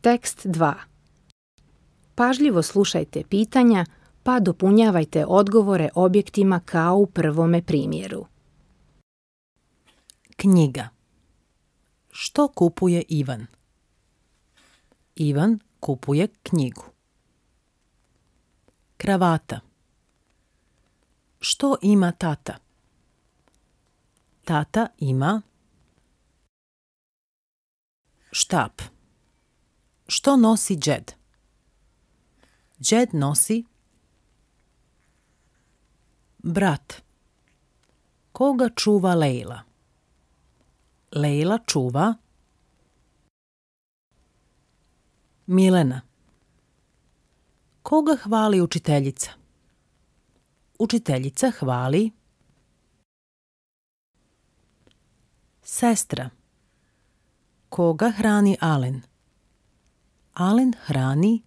Tekst 2. Pažljivo slušajte pitanja pa dopunjavajte odgovore objektima kao u prvome primjeru. Knjiga. Što kupuje Ivan? Ivan kupuje knjigu. Kravata. Što ima tata? Tata ima štap. Što nosi džed? Džed nosi brat. Koga čuva Lejla? Lejla čuva Milena. Koga hvali učiteljica? Učiteljica hvali sestra. Koga hrani Alen? Alen hrani